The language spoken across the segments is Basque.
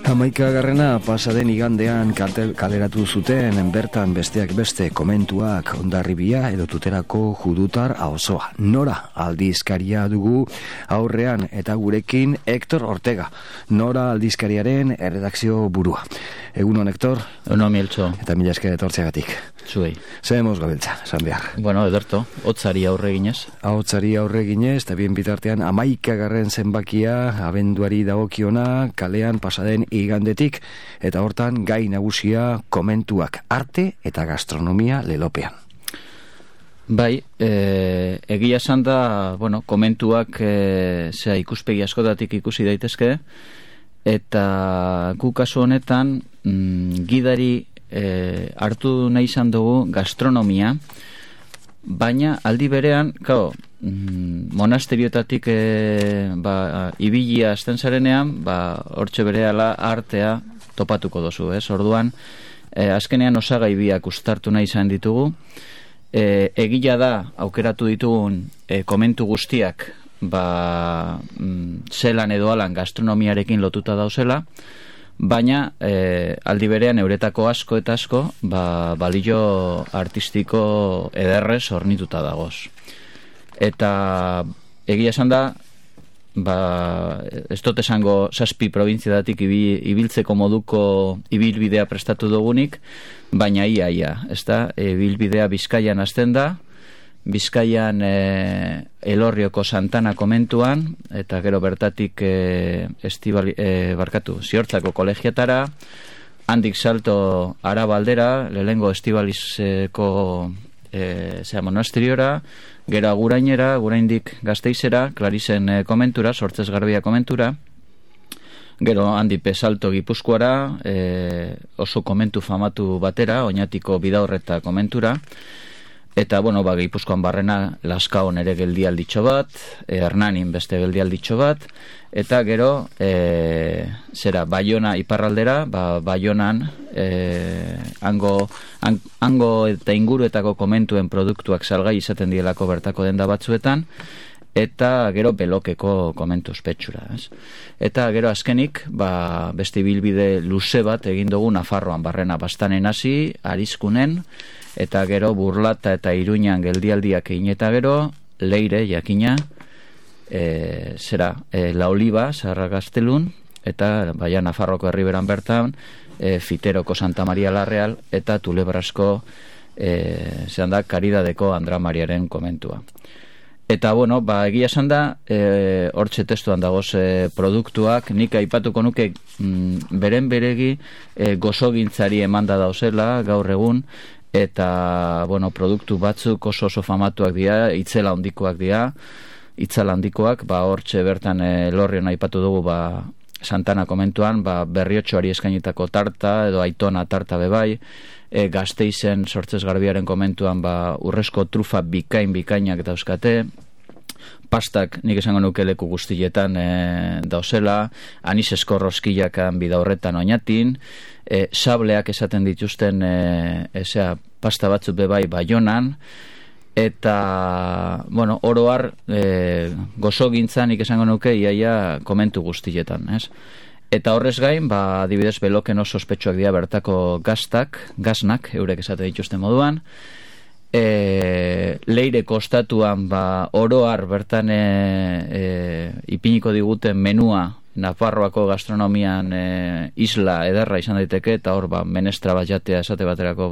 Hamaikagarrena pasaden igandean kaleratu zuten bertan besteak beste komentuak Hondarribia edo Tuterako Judutar Auzoa. Nora aldizkaria dugu aurrean eta gurekin Hector Ortega, Nora aldizkariaren erredakzio burua. Egunon, Hector? Egunon, Mieltxo. Eta mila esker etortzeagatik. Zuei. Zehemos gabiltza, esan behar. Bueno, ederto, hotzari aurre ginez. Hotzari aurre ginez, eta bien bitartean 11. zenbakia abenduari dagokiona kalean pasaden igandetik, eta hortan gai nagusia komentuak, arte eta gastronomia lelopean. Bai, egia esan da, bueno, komentuak ikuspegi askotatik ikusi daitezke, eta gu kasu honetan gidari hartu nahi izan dugu gastronomia, baina aldi berean, monasteriotatik ibilia azten zarenean, hortxe berehala artea topatuko dozu, orduan, azkenean osagai biak ustartu nahi izan ditugu, egila da aukeratu ditugun komentu guztiak zelan edo alan gastronomiarekin lotuta dauzela, baina aldi berean euretako asko eta asko balio artistiko ederrez hornituta dagoz. Eta egia esan da, ez dut esango 7 probintziadatik ibiltzeko moduko ibilbidea prestatu dugunik, baina ia, ez da, ibilbidea Bizkaian hasten da, Bizkaian Elorrioko Santana komentuan, eta gero bertatik Ziortzako kolegiatara, handik salto Arabaldera, lehengo Estibalizeko monasteriora, gero Agurainera, Aguraindik Gasteizera, Klarizen komentura, Sortzez Garbia komentura, gero handipe salto Gipuzkoara, oso komentu famatu batera, Oñatiko Bidaurreta komentura, eta, bueno, Gipuzkoan barrena Laskaon ere geldialditxo bat, Hernanin beste geldialditxo bat, eta gero, Baiona iparraldera, Baionan, hango eta inguruetako komentuen produktuak salgai izaten dielako bertako denda batzuetan, eta gero Belokeko komentu ospetsura. Eta gero azkenik, beste bilbide luze bat egin dugu Nafarroan barrena Bastanen hasi, Arizkunen, eta gero Burlata eta Iruñan geldialdiak egin, eta gero Leire jakina, La Oliva, Zaharra Gaztelun, eta baina Nafarroko herriberan bertan, Fiteroko Santa Maria la Real, eta Tulebrasko Karidadeko Andra Mariaren komentua. Eta, bueno, egia esan da, hortxe testuan dagoz produktuak, nik aipatuko nuke beren beregi gozogintzari emanda dauzela gaur egun, eta, bueno, produktu batzuk oso famatuak dira, itzela handikoak, hortxe bertan Elorrion aipatu dugu, Santana komentuan, Berriotxoari eskainitako tarta, edo Aitona tarta bebai, Gasteizen Sortzez Garbiaren komentuan, urrezko trufa bikainak dauzkate, pastak nik esango nuke leku guztietan dauzela, anis eskorroskillakan Bidaurretan Oñatin, sableak esaten dituzten pasta batzuk bebai Baionan, eta, bueno, oroar gozogintzan nik esango nuke iaia komentu guztietan, ez? Eta horrez gain, adibidez Beloken oso ospetsuak dira bertako gaznak, eurek esaten dituzten moduan, Leire kostatuan oroar bertan ipiniko diguten menua Nafarroako gastronomian isla ederra izan daiteke, eta hor menestra bat jatea esate baterako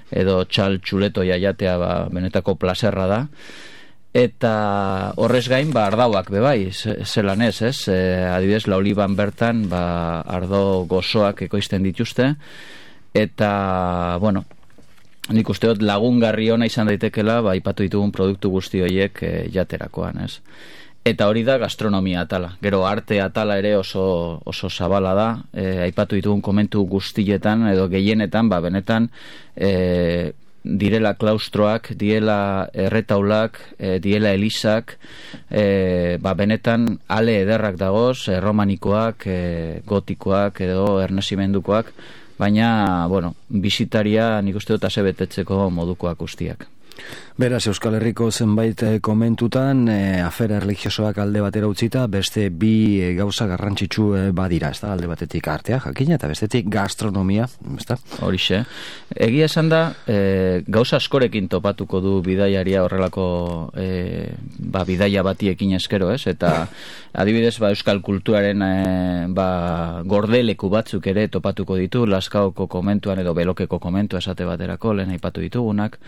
edo txuleto jatea benetako plazerra da. Eta horrez gain, ardauak bebai, zelan ez, adibidez, La Olivan bertan, ardo gozoak ekoizten dituzte, eta, bueno, nik uste dut lagungarri ona izan daitekela, aipatu ditugun produktu guzti horiek jaterakoan, ez. Eta hori da gastronomia atala. Gero arte atala ere oso zabala da, aipatu ditugun komentu guztietan, edo gehienetan, benetan, direla klaustroak, diela erretaulak, diela elizak, benetan ale ederrak dagoz, romanikoak, gotikoak edo ernazimendukoak, baina, bueno, bizitaria nik uste dut asebetetzeko modukoak guztiak. Beraz, Euskal Herriko zenbait komentutan, afera religiosoak alde batera utzita, beste bi gauza garrantzitsu badira, ez da, alde batetik artea, jakina, eta bestetik gastronomia, ez da? Horixe. Egia esan da, gauza askorekin topatuko du bidaiaria horrelako bidaia bati ekin eskero, ez? Eta adibidez, euskal kulturaren gordeleku batzuk ere topatuko ditu, Lazkaoko komentuan edo Belokeko komentua esate baterako, lehen aipatu ditugunak.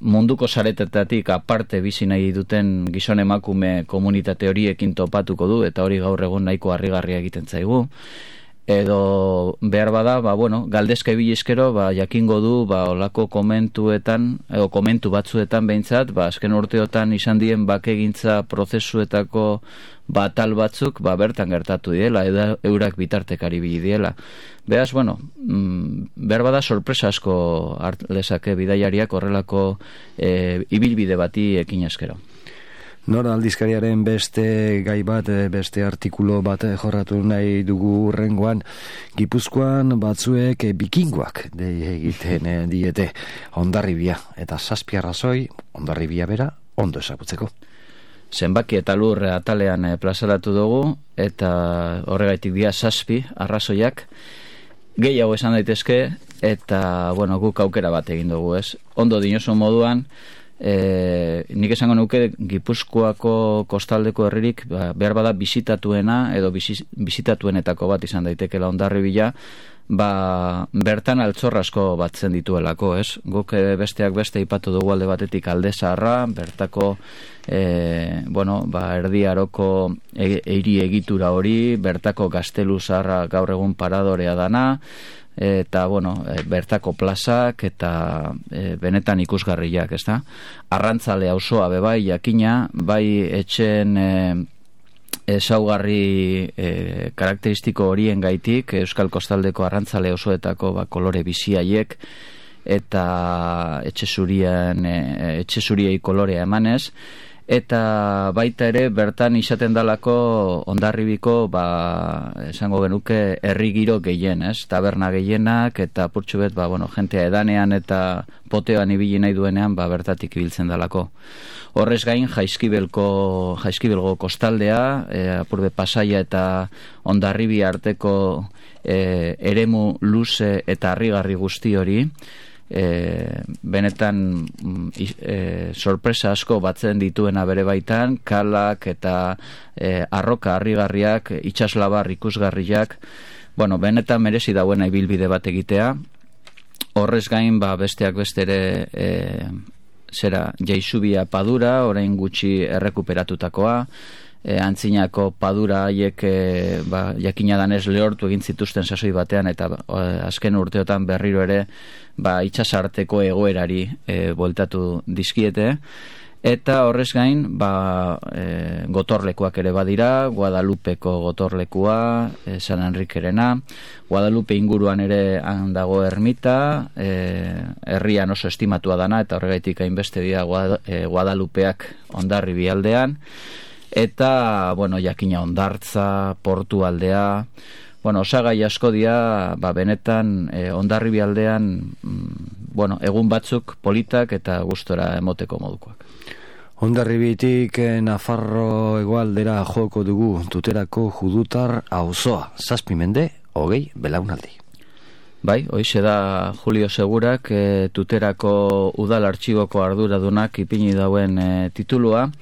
Munduko saretetatik aparte bizi nahi duten gizon emakume komunitate horiekin topatuko du, eta hori gaur egun nahiko harrigarria egiten zaigu. Edo behar bada, galdezka ibilizkero, jakingo du, olako komentuetan, edo komentu batzuetan behintzat, azken urteotan izan dien bakegintza prozesuetako batal batzuk, bertan gertatu diela, eurak bitartekari bili diela. Beraz, behar bada sorpresa asko lezake bidaiariak horrelako ibilbide bati ekin eskero. Nora aldizkariaren beste gai bat, beste artikulo bat jorratu nahi dugu urrengoan, Gipuzkoan batzuek bikingoak egiten diete Hondarribia, eta 7 arrazoi Hondarribia bera ondo ezagutzeko. Zenbaki eta lur atalean plazaratu dugu, eta horregaitik dira 7 arrazoiak, gehiago esan daitezke, eta guk aukera bat egin dugu, ez? Ondo dinoso moduan, nik esango nuke Gipuzkoako kostaldeko herririk behar bada bisitatuena edo bisitatuenetako bat izan daitekela Hondarribia, bertan altxor asko batzen dituelako, ez? Guk besteak beste ipatu dugu alde batetik Alde Zaharra, bertako Erdi Aroko hiri egitura hori, bertako Gaztelu Zaharra gaur egun paradorea dana, eta bertako plazak eta benetan ikusgarriak, ezta? Arrantzale auzoa bebai jakina, bai etxen ezaugarri karakteristiko horien gaitik, Euskal Kostaldeko arrantzale auzoetako kolore biziaiek eta etxe zuriei kolorea emanez, eta baita ere bertan izaten dalako Hondarribiko esango genuke herri giro gehien, ez? Taberna gehienak eta purtsu bet jentea edanean eta poteoan ibili nahi duenean bertatik ibiltzen dalako. Horrez gain Jaizkibelgo kostaldea, apurbe Pasaia eta Hondarribia arteko eremu luze eta harrigarri guzti hori, benetan sorpresa asko batzen dituena bere baitan, kalak eta arroka harrigarriak, itsaslabar ikusgarriak, benetan merezi dauena ibilbide bat egitea. Horrez gain besteak bestere Jaizubia padura, orain gutxi errekuperatutakoa, antzinako padura haiek jakina danez lehortu egin zituzten sasoi batean, eta azken urteotan berriro ere itsasarteko egoerari bueltatu dizkiete. Eta horrez gain gotorlekuak ere badira, Guadalupeko gotorlekua, San Enriquerena, Guadalupe inguruan ere dago ermita, herrian oso estimatua dana, eta horregaitik hainbeste dira Guadalupeak Hondarribia aldean, eta jakina Hondartza, Portu aldea, osagai asko dira benetan Hondarribia aldean egun batzuk politak eta gustora emoteko modukoak. Hondarribitik Nafarro hegoaldera joko dugu Tuterako Judutar auzoa, 7 mende, 20 belaunaldi. Bai, hoize da Julio Segurak Tuterako udal artxiboko arduradunak ipini dauen titulua.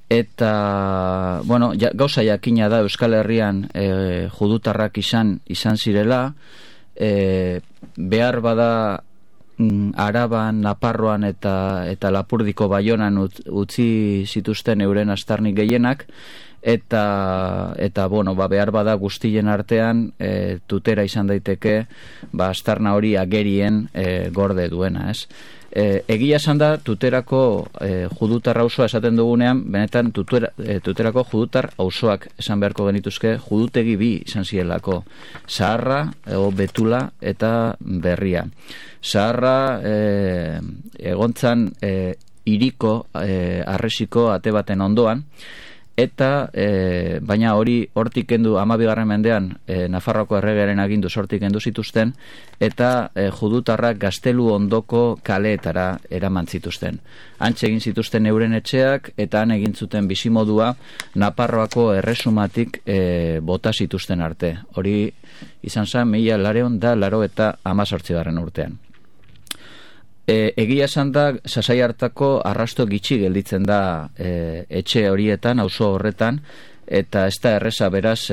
Eta, gauza jakina da Euskal Herrian judutarrak izan zirela, behar bada Araban, Naparroan eta Lapurdiko Baionan utzi zituzten euren astarnik gehienak, eta behar bada guztien artean Tutera izan daiteke astarna hori agerien gorde duena, ez? Egia esan da Tuterako judutar auzoa esaten dugunean, benetan Tuterako judutar auzoak esan beharko genituzke, judutegi bi izan zielako, Zaharra, Betula eta Berria. Zaharra egontzan hiriko arresiko ate baten ondoan, eta baina hori hortik kendu 12. mendean Nafarroako erregearen agindu hortik kendu zituzten, eta judutarrak Gaztelu ondoko kaleetara eraman zituzten. Hantxe egin zituzten euren etxeak, eta han egin zuten bizimodua Nafarroako erresumatik bota zituzten arte. Hori izan zen 1988 urtean. Egia esan da, Sasai hartako arrasto gitxi gelditzen da etxe horietan, auzo horretan, eta ez da erreza beraz,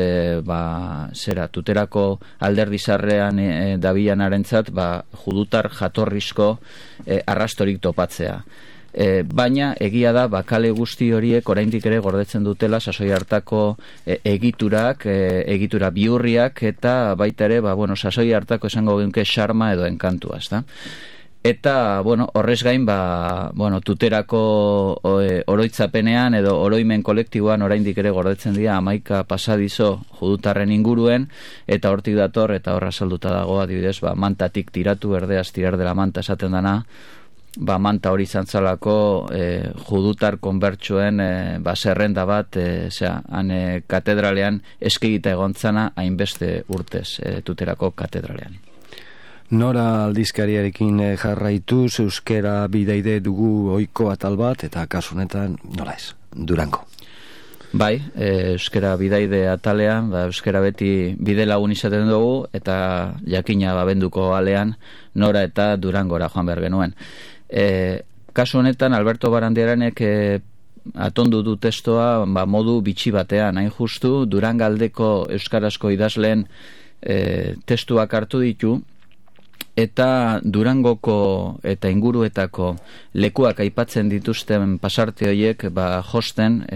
tuterako alderdizarrean dabilanarentzat, judutar jatorrizko arrastorik topatzea. Baina egia da, kale guzti horiek oraindik ere gordetzen dutela Sasoi hartako egiturak, egitura bihurriak, eta baita ere, Sasoi hartako esango genuke xarma edo enkantua, ezta? Eta, horrez gain, tuterako oroitzapenean edo oroimen kolektiboan oraindik ere gordetzen dira 11 pasadizo judutarren inguruen, eta hortik dator, eta horra salduta dago, adibidez, mantatik tiratu, erdeaz tirar dela manta esaten dana, manta hori zantzalako judutar konbertsuen zerrenda bat, han katedralean eskegita egontzana hainbeste urtez tuterako katedralean. Nora aldizkariarekin jarraituz, euskera bidaide dugu ohiko atal bat, eta kasunetan, nola ez, Durango. Bai, euskera bidaide atalean, euskera beti bide lagun izaten dugu, eta jakina benduko alean, Nora eta Durangora joan behar genuen. Kasu honetan, Alberto Barandiaranek atondu du testoa modu bitxi batean, hain justu, Durangaldeko euskarazko idazleen testuak hartu ditu, eta Durangoko eta inguruetako lekuak aipatzen dituzten pasarte horiek josten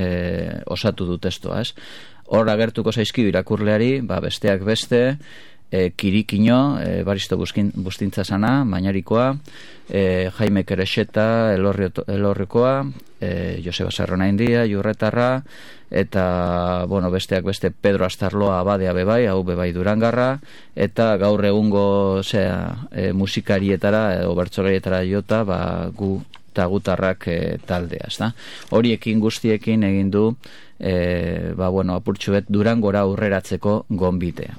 osatu du testoa, ez? Hor agertuko zaizkidu irakurleari, besteak beste, Kirikino, Baristo Bustintzasana, Mañarikoa, Jaime Kerexeta, Elorrikoa, Joseba Sarronaindia, Jurretarra, eta, besteak beste Pedro Astarloa abadea bebai, hau bebai Durangarra, eta gaur egungo musikarietara, edo bertsolarietara jota, gu eta gutarrak taldea, ezta? Horiekin guztiekin egin du, apurtxuet Durangora aurreratzeko gonbitea.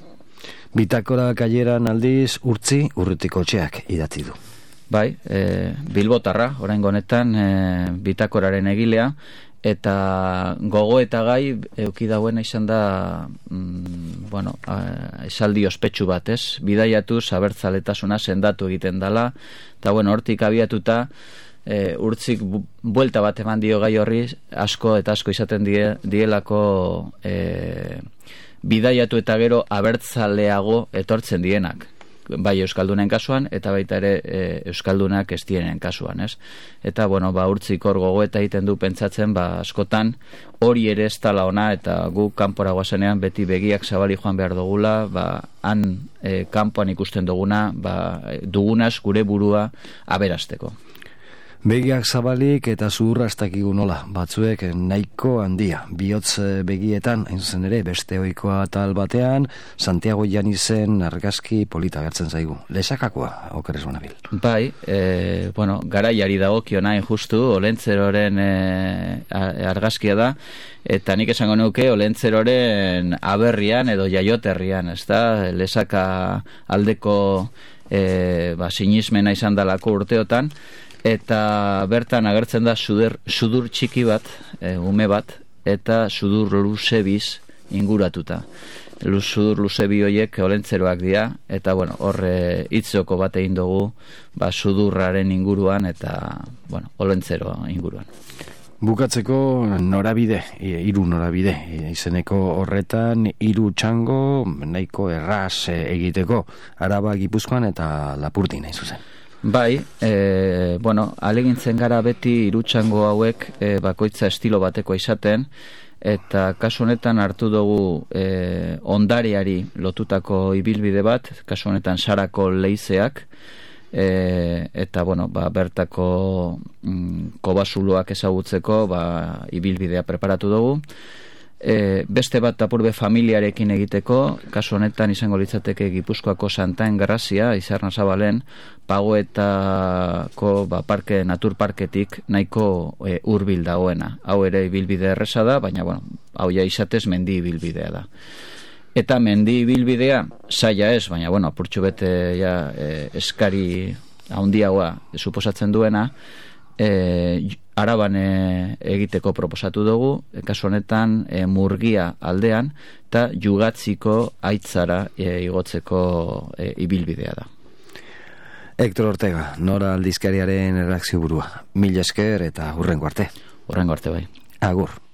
Bitakora kaileran aldiz Urrutiko etxeak idatzi du. Bai, Bilbotarra, oraingo honetan bitakoraren egilea, eta gogo eta gai euki dauena izan da esaldi ospetsu bat, ez? Bidaiatuz abertzaletasuna sendatu egiten dala, eta hortik abiatuta Urtzik buelta bat eman dio gai horri, asko eta asko izaten dielako bidaiatu eta gero abertzaleago etortzen dienak, bai euskaldunen kasuan eta baita ere euskaldunak ez dienen kasuan, ez? Eta Urtzik hor gogoeta egiten du pentsatzen, askotan hori ere ez tala ona, eta gu kanpora goazenean beti begiak zabali joan behar dugula, han kanpoan ikusten duguna, dugunaz gure burua aberasteko. Begiak zabalik eta zuhurra ez dakigu nola, batzuek nahiko handia. Bihotz begietan, hain zuzen ere, beste ohikoa atal batean, Santiago Janizen argazki polita gertzen zaigu. Lesakakoa, okerrez banabil. Bai, garaiari dagokiona justu, Olentzeroren argazkia da, eta nik esango nuke Olentzeroren aberrian edo jaioterrian, ez da, Lesaka aldeko sinismena izan dalako urteotan, eta bertan agertzen da sudur txiki bat, ume bat, eta sudur luze biz inguratuta. Sudur luze bi horiek Olentzeroak dira, eta hor hitzoko bat egin dugu sudurraren inguruan eta Olentzero inguruan. Bukatzeko norabide, 3 norabide, izeneko horretan 3 txango nahiko erraz egiteko, Araba, Gipuzkoan eta Lapurdin hain zuzen. Bai, alegintzen gara beti 3 txango hauek bakoitza estilo batekoa izaten, eta kasu honetan hartu dugu ondareari lotutako ibilbide bat, kasu honetan Sarako leizeak, eta bertako kobasuloak ezagutzeko ibilbidea preparatu dugu. beste bat apurbe familiarekin egiteko, kasu honetan izango litzateke Gipuzkoako Santaen Grazia, Izarna Zabalen, Pagoetako parke, naturparketik nahiko hurbil dagoena. Hau ere ibilbide erresa da, baina hau ja izatez mendi ibilbidea da. Eta mendi ibilbidea zaila ez, baina apurtxo bete eskari handiagoa suposatzen duena, Araban egiteko proposatu dugu, kasu honetan Murgia aldean, eta Jugatziko aitzara igotzeko ibilbidea da. Hector Ortega, Nora aldizkariaren erreakzio burua. Mila esker eta hurrengo arte. Hurrengo arte bai. Agur.